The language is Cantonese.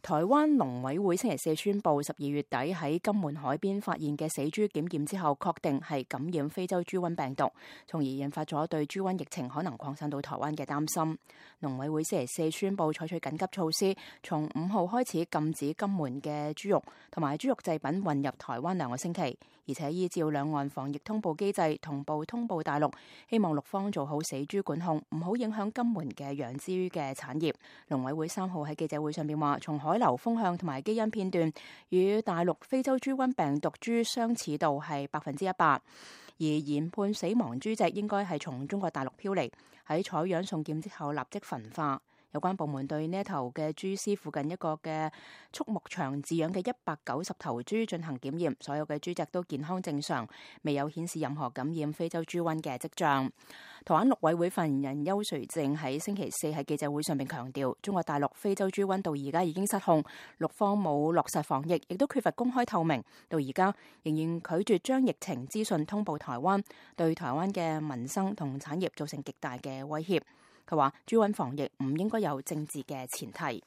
台灣農委會星期四宣布，12月底喺金門海邊發現嘅死豬檢驗之後，確定係感染非洲豬瘟病毒，從而引發咗對豬瘟疫情可能擴散到台灣嘅擔心。農委會星期四宣布採取緊急措施，從5號開始禁止金門嘅豬肉同埋豬肉製品運入台灣2個星期，而且依照兩岸防疫通報機制同步通報大陸，希望陸方做好死豬管控，唔好影響金門嘅養豬嘅產業。農委會3號喺記者會上面話，從海流風向同埋基因片段與大陸非洲豬瘟病毒株相似度係100%，而研判死亡豬隻應該係從中國大陸飄嚟，喺採樣送檢之後立即焚化。有關部門對呢一頭嘅豬屍附近一個嘅畜牧場飼養嘅190頭豬進行檢驗，所有嘅豬隻都健康正常，未有顯示任何感染非洲豬瘟嘅跡象。台灣陸委會發言人邱垂正喺星期四喺記者會上面強調，中國大陸非洲豬瘟到而家已經失控，陸方冇落實防疫，亦都缺乏公開透明，到而家仍然拒絕將疫情資訊通報台灣，對台灣嘅民生同產業造成極大嘅威脅。佢話豬瘟防疫唔應該有政治嘅前提。